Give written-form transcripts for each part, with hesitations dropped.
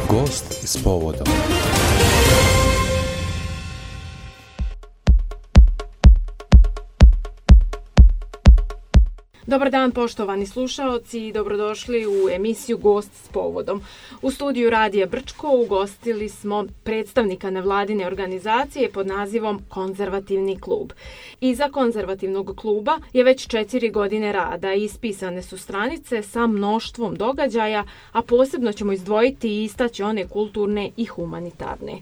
Gost s povodom. Dobar dan poštovani slušaoci i dobrodošli u emisiju Gost s povodom. U studiju Radija Brčko ugostili smo predstavnika nevladine organizacije pod nazivom Konzervativni klub. Iza Konzervativnog kluba je već 4 godine rada i ispisane su stranice sa mnoštvom događaja, a posebno ćemo izdvojiti i istaći one kulturne i humanitarne.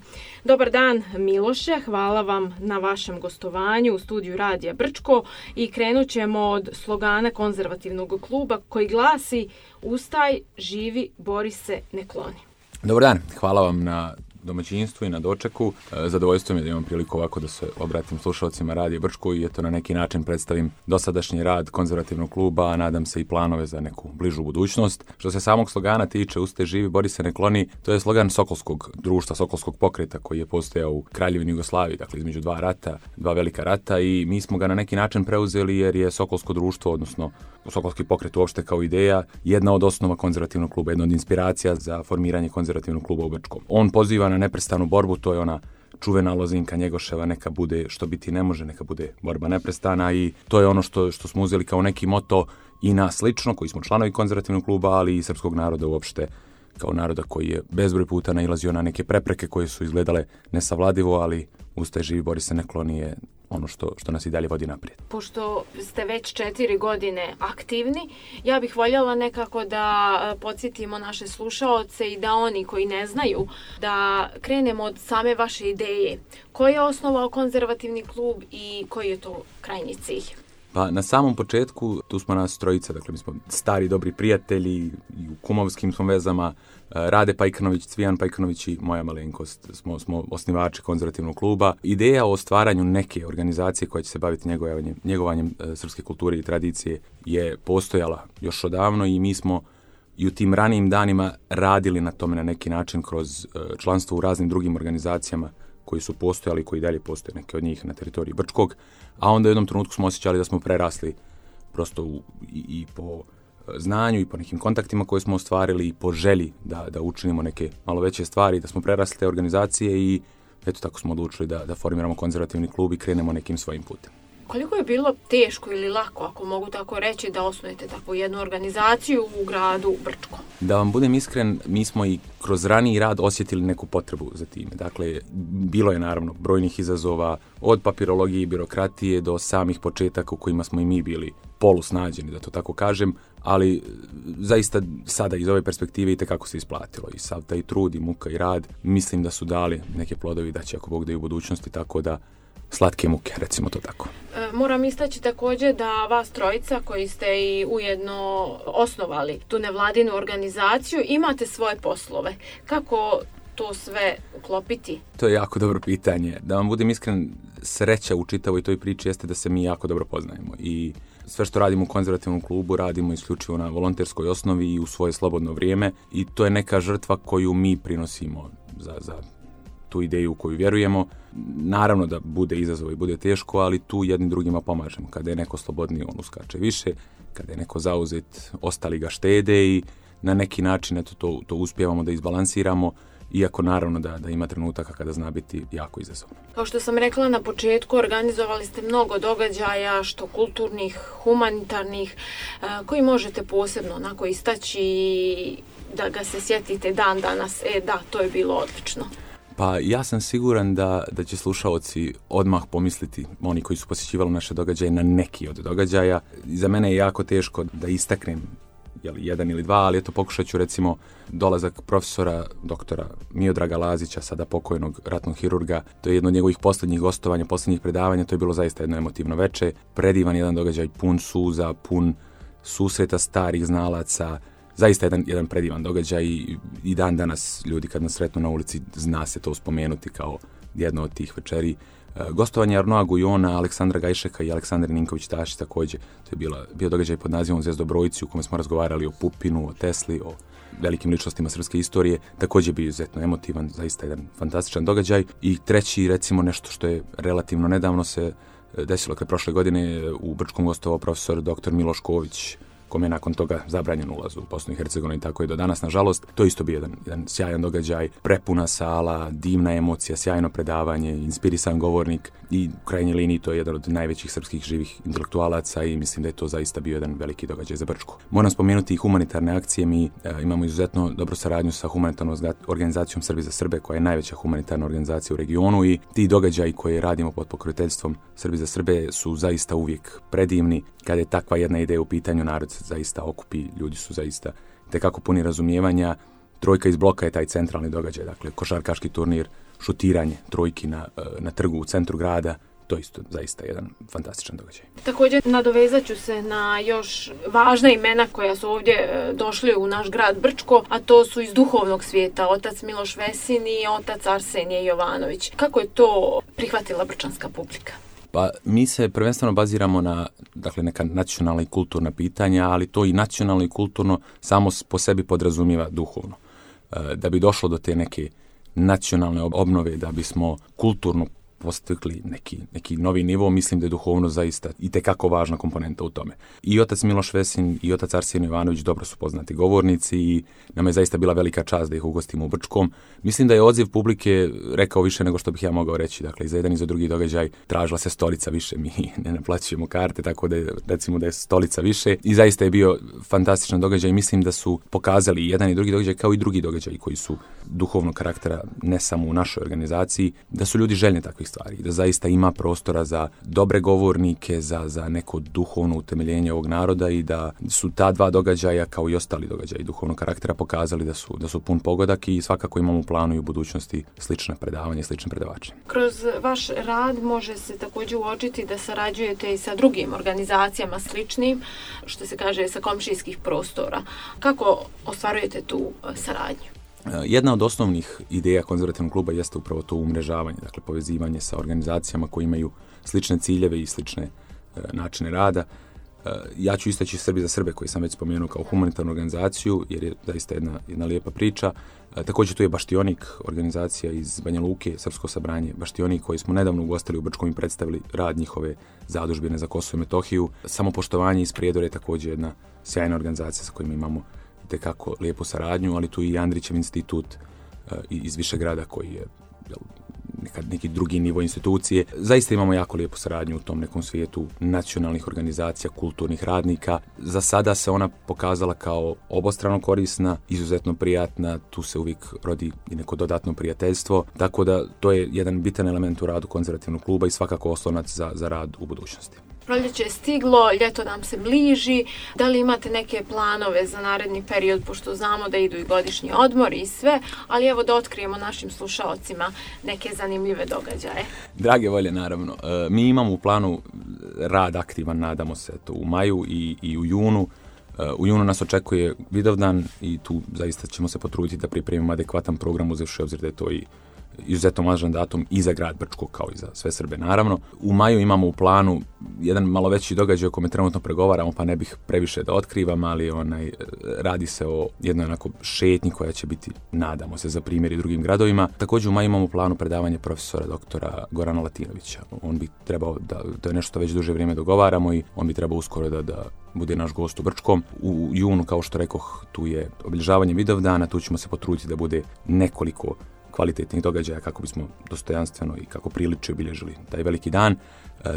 Dobar dan Miloše, hvala vam na vašem gostovanju u studiju Radija Brčko i krenut ćemo od slogana Konzervativnog kluba koji glasi: Ustaj, živi, bori se, ne kloni. Dobar dan, hvala vam na domaćinstvu i na dočeku. Zadovoljstvo mi je da imam priliku ovako da se obratim slušalcima Radija Brčko i eto na neki način predstavim dosadašnji rad Konzervativnog kluba, a nadam se i planove za neku bližu budućnost. Što se samog slogana tiče, Ustaj, živi, bori se, ne kloni, to je slogan Sokolskog društva, Sokolskog pokreta koji je postojao u Kraljevini Jugoslaviji, dakle između dva velika rata, i mi smo ga na neki način preuzeli jer je Sokolsko društvo, odnosno Sokolski pokret uopšte kao ideja, jedna od osnova Konzervativnog kluba, jedna od inspiracija za formiranje Konzervativnog kluba u Brčkom. On poziva na neprestanu borbu, to je ona čuvena lozinka Njegoševa, neka bude što biti ne može, neka bude borba neprestana, i to je ono što smo uzeli kao neki moto i nas lično, koji smo članovi Konzervativnog kluba, ali i srpskog naroda uopšte, kao naroda koji je bezbroj puta nailazio na neke prepreke koje su izgledale nesavladivo, ali Ustaj, živi, bori se, ne kloni je ono što nas i dalje vodi naprijed. Pošto ste već 4 godine aktivni, ja bih voljela nekako da podsjetimo naše slušaoce i da oni koji ne znaju, da krenemo od same vaše ideje. Ko je osnovao Konzervativni klub i koji je to krajnji cilj? Pa na samom početku tu smo nas trojica, dakle mi smo stari dobri prijatelji i u kumovskim smo vezama. Rade Pajkanović, Cvijan Pajkanović i moja malenkost smo osnivači Konzervativnog kluba. Ideja o stvaranju neke organizacije koja će se baviti njegovanjem srpske kulture i tradicije je postojala još odavno i mi smo i u tim ranijim danima radili na tome na neki način kroz članstvo u raznim drugim organizacijama koji su postojali i koji dalje postoje, neke od njih na teritoriji Brčkog, a onda u jednom trenutku smo osjećali da smo prerasli prosto i po znanju i po nekim kontaktima koje smo ostvarili i po želji da učinimo neke malo veće stvari, da smo prerasli te organizacije i eto tako smo odlučili da formiramo Konzervativni klub i krenemo nekim svojim putem. Koliko je bilo teško ili lako, ako mogu tako reći, da osnujete takvu jednu organizaciju u gradu Brčko? Da vam budem iskren, mi smo i kroz raniji rad osjetili neku potrebu za time. Dakle, bilo je naravno brojnih izazova, od papirologije i birokratije do samih početaka u kojima smo i mi bili polusnađeni, da to tako kažem, ali zaista sada iz ove perspektive itekako se isplatilo. I sav taj trud i muka i rad, mislim da su dali neke plodovi da će, ako Bog da, i u budućnosti, tako da slatke muke, recimo to tako. Moram istaći također da vas trojica koji ste i ujedno osnovali tu nevladinu organizaciju imate svoje poslove. Kako to sve uklopiti? To je jako dobro pitanje. Da vam budem iskren, sreća u čitavoj toj priči jeste da se mi jako dobro poznajemo i sve što radimo u Konzervativnom klubu radimo isključivo na volonterskoj osnovi i u svoje slobodno vrijeme, i to je neka žrtva koju mi prinosimo za tu ideju u koju vjerujemo. Naravno da bude izazov i bude teško, ali tu jednim drugima pomažemo. Kada je neko slobodniji, on uskače više, kada je neko zauzet, ostali ga štede i na neki način to uspijevamo da izbalansiramo, iako naravno da ima trenutaka kada zna biti jako izazovno. Kao što sam rekla na početku, organizovali ste mnogo događaja, što kulturnih, humanitarnih, koji možete posebno onako istaći da ga se sjetite dan danas. Da, to je bilo odlično. Pa ja sam siguran da će slušaoci odmah pomisliti, oni koji su posjećivali naše događaje, na neki od događaja. Za mene je jako teško da istaknem jedan ili dva, ali eto pokušat ću recimo dolazak profesora doktora Miodraga Lazića, sada pokojnog ratnog hirurga. To je jedno od njegovih posljednjih gostovanja, posljednjih predavanja, to je bilo zaista jedno emotivno veče. Predivan jedan događaj, pun suza, pun susreta starih znalaca, zaista jedan predivan događaj i dan danas ljudi kad nas sretnu na ulici zna se to spomenuti kao jedno od tih večeri. Gostovanje Arnoa Gujona, Aleksandra Gajšeka i Aleksandre Ninković-Tašić također. To je bio događaj pod nazivom Zvezdobrojici u kome smo razgovarali o Pupinu, o Tesli, o velikim ličnostima srpske istorije. Također bio izuzetno emotivan, zaista jedan fantastičan događaj. I treći, recimo nešto što je relativno nedavno se desilo, prošle godine u Brčkom gostovao profesor dr. Miloš Ković, kome je nakon toga zabranjen ulaz u Bosnu i Hercegovinu i tako je do danas. Nažalost, to isto bio jedan sjajan događaj, prepuna sala, divna emocija, sjajno predavanje, inspirisan govornik i u krajnjoj liniji to je jedan od najvećih srpskih živih intelektualaca i mislim da je to zaista bio jedan veliki događaj za Brčko. Moram spomenuti i humanitarne akcije. Mi imamo izuzetno dobru saradnju sa humanitarnom organizacijom Srbi za Srbe, koja je najveća humanitarna organizacija u regionu i ti događaji koje radimo pod pokroviteljstvom Srbi za Srbe su zaista uvijek predivni. Kada je takva jedna ideja u pitanju, narod se zaista okupi, ljudi su zaista tekako puni razumijevanja. Trojka iz bloka je taj centralni događaj, dakle košarkaški turnir, šutiranje trojki na trgu u centru grada. To isto zaista jedan fantastičan događaj. Također nadovezat ću se na još važna imena koja su ovdje došli u naš grad Brčko, a to su iz duhovnog svijeta, otac Miloš Vesin i otac Arsenije Jovanović. Kako je to prihvatila brčanska publika? Pa mi se prvenstveno baziramo na neka nacionalna i kulturna pitanja, ali to i nacionalno i kulturno samo po sebi podrazumijeva duhovno. Da bi došlo do te neke nacionalne obnove, da bismo kulturno postigli neki novi nivo, mislim da je duhovno zaista itekako važna komponenta u tome. I otac Miloš Vesin i otac Arsenije Jovanović dobro su poznati govornici i nam je zaista bila velika čast da ih ugostimo u Brčkom. Mislim da je odziv publike rekao više nego što bih ja mogao reći. Dakle, i za jedan i za drugi događaj tražila se stolica više, mi ne naplaćujemo karte, tako da recimo da je stolica više. I zaista je bio fantastičan događaj. Mislim da su pokazali jedan i drugi događaj kao i drugi događaji koji su duhovnog karaktera, ne samo u našoj organizaciji, da su ljudi željni takvih stvari, da zaista ima prostora za dobre govornike, za neko duhovno utemeljenje ovog naroda i da su ta dva događaja, kao i ostali događaji duhovnog karaktera, pokazali da su pun pogodak i svakako imamo u planu i u budućnosti slična predavanja i slične predavače. Kroz vaš rad može se također uočiti da sarađujete i sa drugim organizacijama sličnim, što se kaže sa komšijskih prostora. Kako ostvarujete tu saradnju? Jedna od osnovnih ideja konzervativnog kluba jeste upravo to umrežavanje, dakle povezivanje sa organizacijama koje imaju slične ciljeve i slične načine rada. Ja ću istaći Srbi za Srbe, koji sam već spomenuo kao humanitarnu organizaciju, jer je zaista jedna lijepa priča. Također tu je Baštionik, organizacija iz Banja Luke, Srpsko sabranje Baštionik, koji smo nedavno ugostili u Brčkom i predstavili rad njihove zadužbine za Kosovo i Metohiju. Samopoštovanje iz Prijedora je također jedna sjajna organizacija sa kojima imamo tekako lijepu saradnju, ali tu i Andrićev institut iz Višegrada koji je neki drugi nivo institucije. Zaista imamo jako lijepu saradnju u tom nekom svijetu nacionalnih organizacija, kulturnih radnika. Za sada se ona pokazala kao obostrano korisna, izuzetno prijatna, tu se uvijek rodi i neko dodatno prijateljstvo, tako da to je jedan bitan element u radu konzervativnog kluba i svakako oslonac za rad u budućnosti. Proljeće je stiglo, ljeto nam se bliži. Da li imate neke planove za naredni period, pošto znamo da idu i godišnji odmori i sve, ali evo da otkrijemo našim slušaocima neke zanimljive događaje. Drage volje, naravno. Mi imamo u planu rad aktivan, nadamo se, to u maju i u junu. U junu nas očekuje Vidovdan i tu zaista ćemo se potruditi da pripremimo adekvatan program, uzevši obzir da je to i izuzetno važan datum i za grad Brčko, kao i za sve Srbe, naravno. U maju imamo u planu jedan malo veći događaj o kome trenutno pregovaramo, pa ne bih previše da otkrivam, ali radi se o jednoj onako šetnji koja će biti, nadamo se, za primjer i drugim gradovima. Također u maju imamo u planu predavanje profesora doktora Gorana Latinovića. On bi trebao to je nešto već duže vrijeme dogovaramo i on bi trebao uskoro da bude naš gost u Brčkom. U junu, kao što rekoh, tu je obilježavanje Vidovdana, tu ćemo se potruditi da bude nekoliko kvalitetnih događaja kako bismo dostojanstveno i kako priliče obilježili taj veliki dan.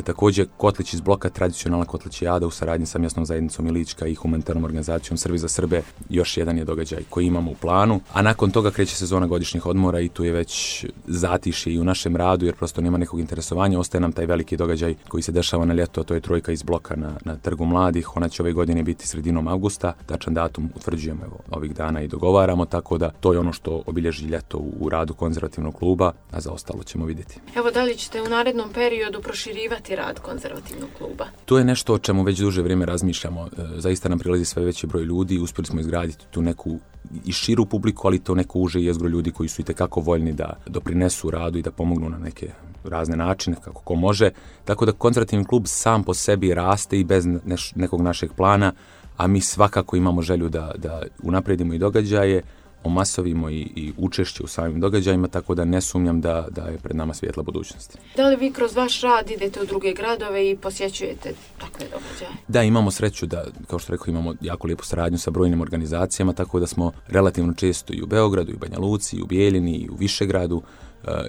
Također Kotlić iz bloka, tradicionalna Kotlićijada u saradnji sa mjesnom zajednicom Ilička i humanitarnom organizacijom Srbi za Srbe, još jedan je događaj koji imamo u planu. A nakon toga kreće sezona godišnjih odmora i tu je već zatišje i u našem radu, jer prosto nema nekog interesovanja. Ostaje nam taj veliki događaj koji se dešava na ljeto, a to je trojka iz bloka na Trgu mladih. Ona će ove godine biti sredinom avgusta. Tačan datum utvrđujemo ovih dana i dogovaramo, tako da to je ono što obilježi ljeto u radu konzervativnog kluba, a za ostalo ćemo vidjeti. Evo, da li ćete u narednom periodu proširivati rad konzervativnog kluba? To je nešto o čemu već duže vrijeme razmišljamo. Zaista nam prilazi sve veći broj ljudi, uspjeli smo izgraditi tu neku i širu publiku, ali to neko uže jezgro ljudi koji su itekako voljni da doprinesu radu i da pomognu na neke razne načine, kako ko može. Tako da konzervativni klub sam po sebi raste i bez nekog našeg plana, a mi svakako imamo želju da unaprijedimo i događaje. omasovimo i učešće u samim događajima, tako da ne sumnjam da je pred nama svijetla budućnost. Da li vi kroz vaš rad idete u druge gradove i posjećujete takve događaje? Da, imamo sreću da, kao što rekao, imamo jako lijepu saradnju sa brojnim organizacijama, tako da smo relativno često i u Beogradu, i u Banja Luci, i u Bijeljini, i u Višegradu.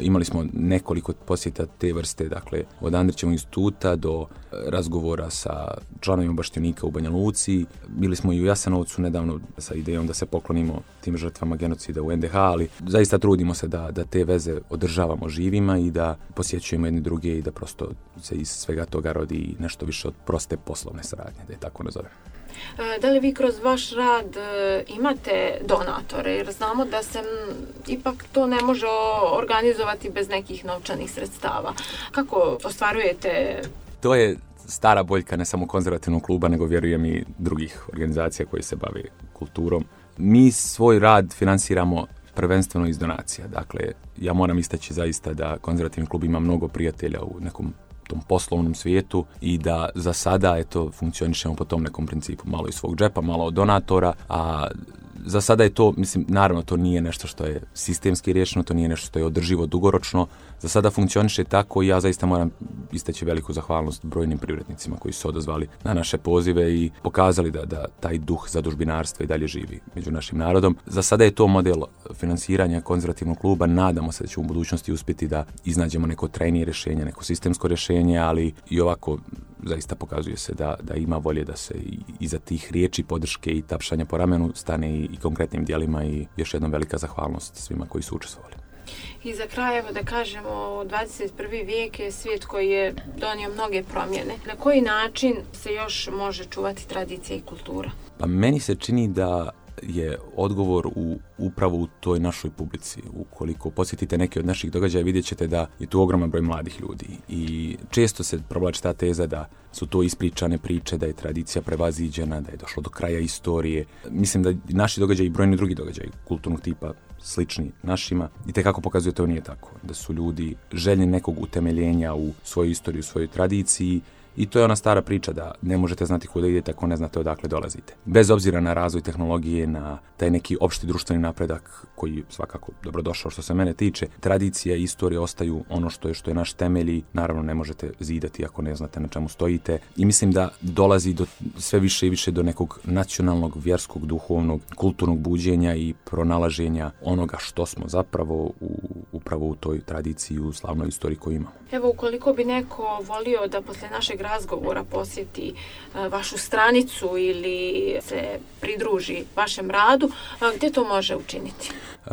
Imali smo nekoliko posjeta te vrste, dakle od Andrićevog instituta do razgovora sa članovima Baštionika u Banja Luci. Bili smo i u Jasenovcu nedavno sa idejom da se poklonimo tim žrtvama genocida u NDH, ali zaista trudimo se da te veze održavamo živima i da posjećujemo jedni druge i da prosto se iz svega toga rodi nešto više od proste poslovne saradnje, da je tako nazovem. Da li vi kroz vaš rad imate donatore? Jer znamo da se ipak to ne može organizovati bez nekih novčanih sredstava. Kako ostvarujete? To je stara boljka ne samo konzervativnog kluba, nego vjerujem i drugih organizacija koji se bave kulturom. Mi svoj rad finansiramo prvenstveno iz donacija. Dakle, ja moram istaći zaista da konzervativni klub ima mnogo prijatelja u nekom tom poslovnom svijetu i da za sada funkcionišemo po tom nekom principu, malo iz svog džepa, malo od donatora, a za sada je to, mislim, naravno to nije nešto što je sistemski riješeno, to nije nešto što je održivo dugoročno, za sada funkcioniše tako i ja zaista moram istaći veliku zahvalnost brojnim privrednicima koji su se odazvali na naše pozive i pokazali da taj duh zadužbinarstva i dalje živi među našim narodom. Za sada je to model finansiranja konzervativnog kluba, nadamo se da ćemo u budućnosti uspjeti da iznađemo neko trajnije rješenje, neko sistemsko rješenje, ali i ovako zaista pokazuje se da ima volje da se iza tih riječi, podrške i tapšanja po ramenu stane i konkretnim djelima i još jednom velika zahvalnost svima koji su učestvovali. I za kraj, evo da kažemo, 21. vijek je svijet koji je donio mnoge promjene. Na koji način se još može čuvati tradicija i kultura? Pa meni se čini da je odgovor upravo u toj našoj publici. Ukoliko posjetite neke od naših događaja, vidjet ćete da je tu ogroman broj mladih ljudi i često se provlači ta teza da su to ispričane priče, da je tradicija prevaziđena, da je došlo do kraja istorije. Mislim da naši događaji i brojni drugi događaji kulturnog tipa slični našima i tekako pokazuje to nije tako. Da su ljudi željni nekog utemeljenja u svoju istoriju, u svojoj tradiciji. I to je ona stara priča da ne možete znati kuda idete ako ne znate odakle dolazite. Bez obzira na razvoj tehnologije, na taj neki opšti društveni napredak koji je svakako dobrodošao što se mene tiče, tradicija i istorija ostaju ono što je naš temelj i naravno ne možete zidati ako ne znate na čemu stojite. I mislim da dolazi do sve više i više do nekog nacionalnog, vjerskog, duhovnog, kulturnog buđenja i pronalaženja onoga što smo zapravo upravo u toj tradiciji, u slavnoj istoriji koju imamo. Evo, ukoliko bi neko volio da posle našeg razgovora posjeti vašu stranicu ili se pridruži vašem radu, gdje to može učiniti?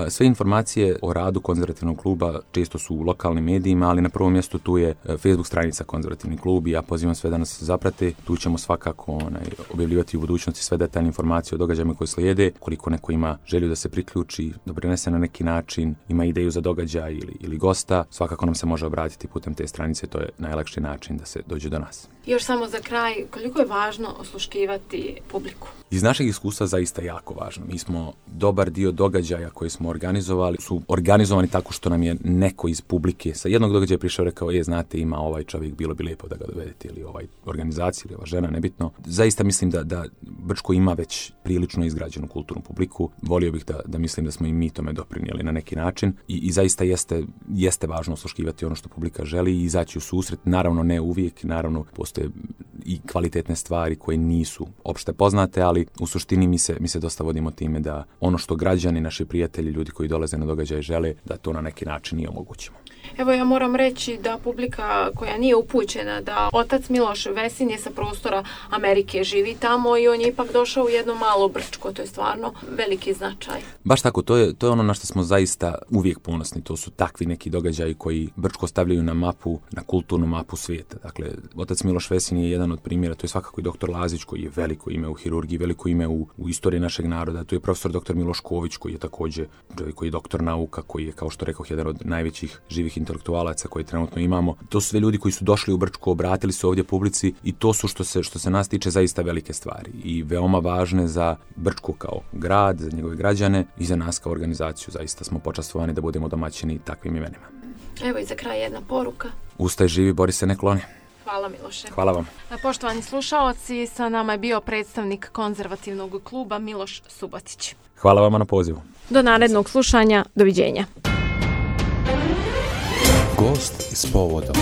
Sve informacije o radu konzervativnog kluba često su u lokalnim medijima, ali na prvom mjestu tu je Facebook stranica konzervativni klub i ja pozivam sve da nas zaprate. Tu ćemo svakako objavljivati u budućnosti sve detaljne informacije o događajima koji slijede. Koliko neko ima želju da se priključi, doprinese na neki način, ima ideju za događaj ili gosta, svakako nam se može obratiti putem te stranice, to je najlakši način da se dođe do nas. Još samo za kraj, koliko je važno osluškivati publiku? Iz našeg iskustva zaista jako važno. Mi smo dobar dio događaja koje smo organizovali, su organizovani tako što nam je neko iz publike sa jednog događaja prišao i rekao, znate, ima ovaj čovjek, bilo bi lijepo da ga dovedete, ili ovaj organizacija, ili ova žena, nebitno. Zaista mislim da Brčko ima već prilično izgrađenu kulturnu publiku. Volio bih da mislim da smo i mi tome doprinijeli na neki način i zaista jeste važno osluškivati ono što publika želi i izaći u susret. Naravno ne uvijek, naravno postoje i kvalitetne stvari koje nisu opšte poznate, ali u suštini mi se dosta vodimo time da ono što građani, naši prijatelji, ljudi koji dolaze na događaje žele, da to na neki način i omogućimo. Evo, ja moram reći da publika koja nije upućena da otac Miloš Vesin je sa prostora Amerike, živi tamo i on je ipak došao u jedno malo Brčko, to je stvarno veliki značaj. Baš tako, to je ono na što smo zaista uvijek ponosni, to su takvi neki događaji koji Brčko stavljaju na mapu, na kulturnu mapu svijeta. Dakle, otac Miloš Vesin je jedan od primjera, to je svakako i doktor Lazić koji je veliko ime u hirurgiji, veliko ime u istoriji našeg naroda, tu je profesor doktor Miloš Ković koji je također čovjek koji je doktor nauka, koji je, kao što rekoh, jedan od najvećih živih intelektualaca koje trenutno imamo. To su sve ljudi koji su došli u Brčko, obratili se ovdje publici i to su što se nas tiče zaista velike stvari i veoma važne za Brčko kao grad, za njegove građane i za nas kao organizaciju. Zaista smo počastvovani da budemo domaćini takvim imenima. Evo i za kraj jedna poruka. Ustaj, živi, bori se, ne kloni. Hvala Miloše. Hvala vam. Poštovani slušaoci, sa nama je bio predstavnik konzervativnog kluba Miloš Subotić. Hvala vama na pozivu. Do narednog slušanja, doviđenja. Gost s povodom.